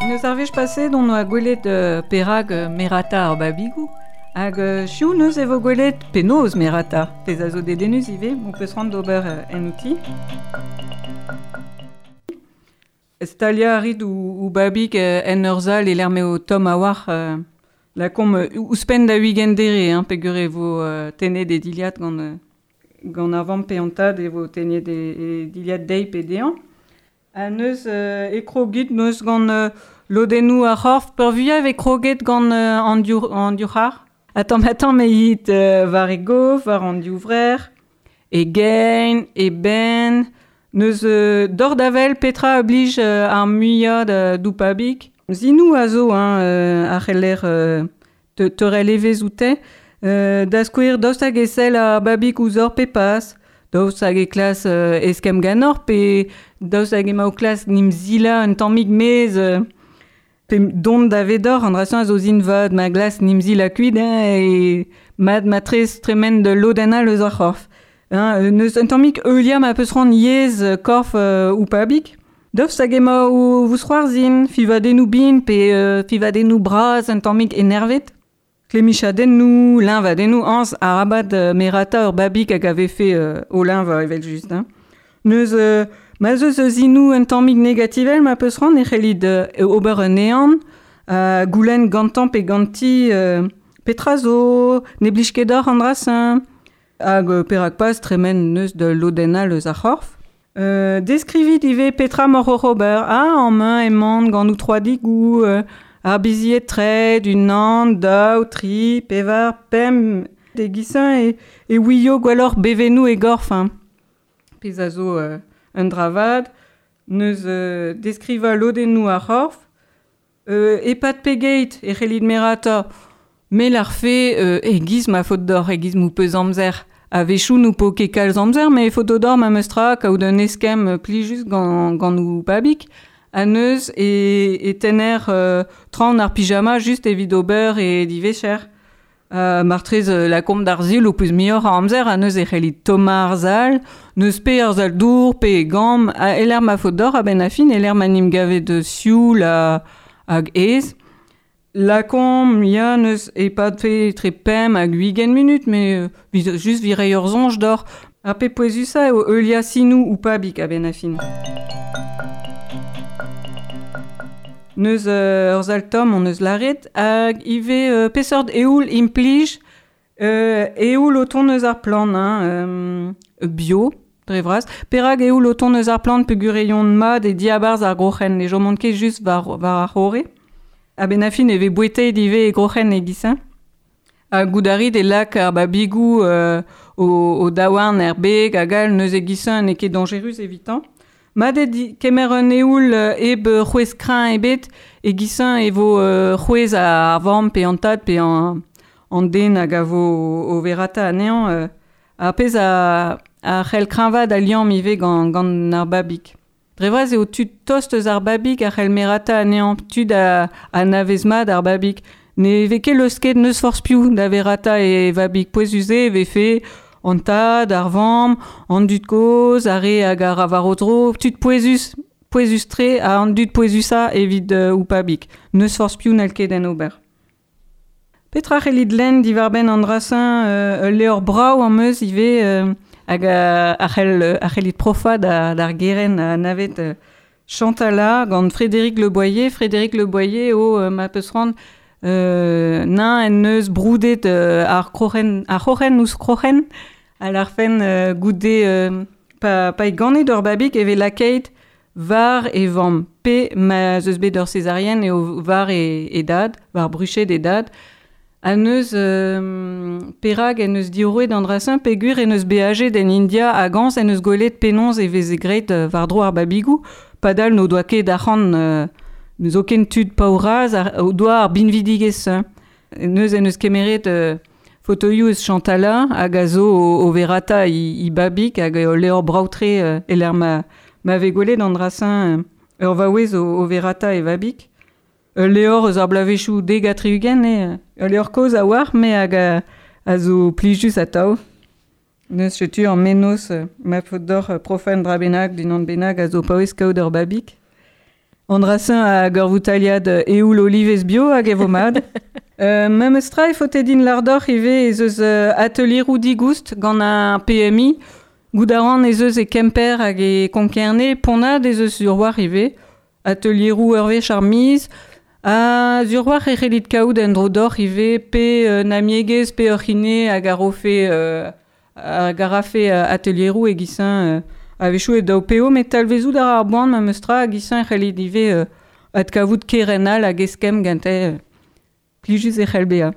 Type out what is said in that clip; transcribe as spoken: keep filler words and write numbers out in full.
Neus ar wech paset on oa gwelet euh, perag euh, merata ar babigou. Hag euh, chiou neus e vo gwelet penaos merata. Pez a zo dedennus ivez, on peus rand d'ober euh, en outi. Stalia a rit ou, ou babig euh, en ur zal e l'er meo tom a war euh, la kom euh, ouzhpenn da huigen dere, hein, peogwir e vo euh, tennet e diliad gant, euh, gant ar vamm pe an tad e vo tennet e, e diliad deiz pe dezhañ. Ha neus euh, e krogit neus gant euh, lodennoù ar c'horf peurvuiañ e kroget gant euh, an div, an div c'har. Attends, attends, mais it euh, war e gof, war an div vrec'h, e gein, e benn, neus euh, dor d'avel petra a blij euh, ar muiañ da doupabig. Zinou a zo, hein, euh, ar c'heller euh, te, teurel evezh oute. Euh, da skouer daoust hag e sell ar babig ouzh ur pe pas, daoust hag e klas euh, eskemm ganeoc'h pe daoust hag ema o klas nim zila un tammig mez euh, pe dont da vedor an drasañ a zo zin vat ma glas nim zila kuit hein, e mat matrez tremen de lodenn eus ar c'horf. Hein, euh, neus un tammig heuliañ ma peus c'hoant yezh euh, korf euh, ou pabig. Daoust hag ema o vousc'hoarzhin, fivadennoù bin pe euh, fivadennoù bras un tammig enervet. Klemichadennoù, liñvadennoù, añs arabat euh, merata ur babig hag a vefe euh, o liñvañ evel just. Hein. Neus euh, ma zeus eus zinoù un tammig negativel ma peus c'hoant e c'hellit euh, ober un ehan, euh, goulenn gantañ pe ganti euh, petra zo, ne blij ket deoc'h an dra-se, hag euh, perak pas tremen neus de lodenn eus ar c'horf. Euh, deskrivit ivez petra mor oc'h ober, ah, an mañ emaon gant ou digoù, euh, ar bizied tre, unan, daou, tri, pevar, pemp, e gisañ e, e ouio gwelloc'h bevennoù e gorf. Hein. Pezh a zo euh, un dra vat, neus euh, deskrivañ lodennoù ar c'horf, euh, e-pad pegeit e c'hellit merata, me l'arfe euh, e giz ma faot deoc'h, e giz m'ho peus amzer. A-wechoù n'ho po ket kalz amzer, mais faot d'or ma meus tra kaout un eskemm plijus gant, gant ou babig. Ha neus e, e tenner euh, traoñ ar pyjama just evit ober e divecher. Euh, martrez euh, la komp d'ar zil ho peus muioc'h a amzer ha neus e c'hellit tommañ ar zal, neus pe ar zal dour, pe e gambr, ha eler ma faot deoc'h a-benn ar fin, eler ma n'em gavet sioul ha, hag aes. La komp, ya, neus e-pad pe etre pemp hag ugent munut, mais euh, vid, just virei ur soñj deoc'h. Ar pe pouezusañ eo heuliañ sinoù ou pabig a-benn ar fin. Neus euh, ur zal tomm on eus lâret, hag ivez euh, peseurt eoul implij, euh, eoul o tont eus ar plant, hein, euh, bio, dre vras. Perak eoul o tont eus ar plant peogwir e mat e diabarzh ar groc'hen, ne chomont ket just war, war ar c'horre. A-benn ar fin e vez bouetet ivez e groc'hen e giz-se. Ha goût a rit e lak ar babigoù euh, o, o daouarn er beg hag all neus e giz-se n'eo ket dañjerus evitañ. Mat eo di kemer un eoul euh, hep c'hwezh kreñv ebet e giz-se e vo euh, c'hwezh ar vamm pe an tad pe an, an den hag a vo o verata anezhañ. Euh, ar pezh a, a c'hell kreñvaat al liamm ivez gant, gant ar babig. Dre vras eo tud tost eus ar babig a c'hell merata anezhañ, tud a, anavez mat ar babig. Ne vez ket leusket neus forzh piv da verata e vabig pouezus eo e vefe an tad, ar vamm, an dud kozh, ar re hag ar war o dro, tud pouezus, pouezus-tre ha an dud pouezusañ evit euh, ou pabig. Neus forzh piv n'hall ket en ober. Petra c'hellit lenn diwar-benn an dra-se euh, ul levr brav am eus ivez euh, hag a, a c'hell, a c'hellit profañ da, d'ar gerent a anavet euh, Chantala gant Frédéric Le Boyer. Frédéric Le Boyer eo euh, ma peus c'hoant euh, nain en neus broudet euh, ar kroc'hen, ar c'hroc'hen ouzh kroc'hen a l'arfen euh, goude euh, pa, pa e ganet ur babig e vez lakaet war e vamm pe ma zeus bet ur césarienne eo war e, e dad, war bruched e dad. Ha neus euh, perak en eus diorroet an dra-se peogwir en eus beajet en India hag añs en eus gwelet penaos e veze graet euh, war-dro ar babigoù, padal n'o doa ket arc'hant euh, n'eus zoken tud paour-razh ar, o doa ar binvidigezh. Neus en eus kemeret euh, fotoioù eus Chantala hag a zo o, o verata i, i babig hag eo levr brav-tre euh, e-lec'h ma, ma vez gwelet an dra-se euh, ur vaouez o, o verata e vabig. Ul levr eus ar bloavezhioù dek ha tri-ugent eo, ul levr kozh a-walc'h, me hag a, a zo plijus atav. Neus setu an menoz euh, ma faot d'or euh, profan dra bennak d'unan bennak a zo paouez kaout ur babig. An drasin hag ur voutaliad euh, eoul olivez bio hag e vo mad. Euh, memes tra e faote din lardoc'h ivez ez eus euh, atelieroù digoust gant ar P M I. Gout a ran ez eus e Kemper hag e Konkerne, Ponnad ez eus sur war ivez. Atelieroù ur wech ar miz. Ha sur war e c'hellit kaout en dro d'oc'h ivez pe euh, namiegez, pe ur c'hine hag a rofe, euh, hag a rafe, euh, atelieroù e gisin, euh, a-wechoù e daou peo, met talvezout ar ar boan ma meus tra hag gisin e c'hellit ivez, euh, adkavout kerenal hag eskemm gante, euh, plijus e c'hell bezañ.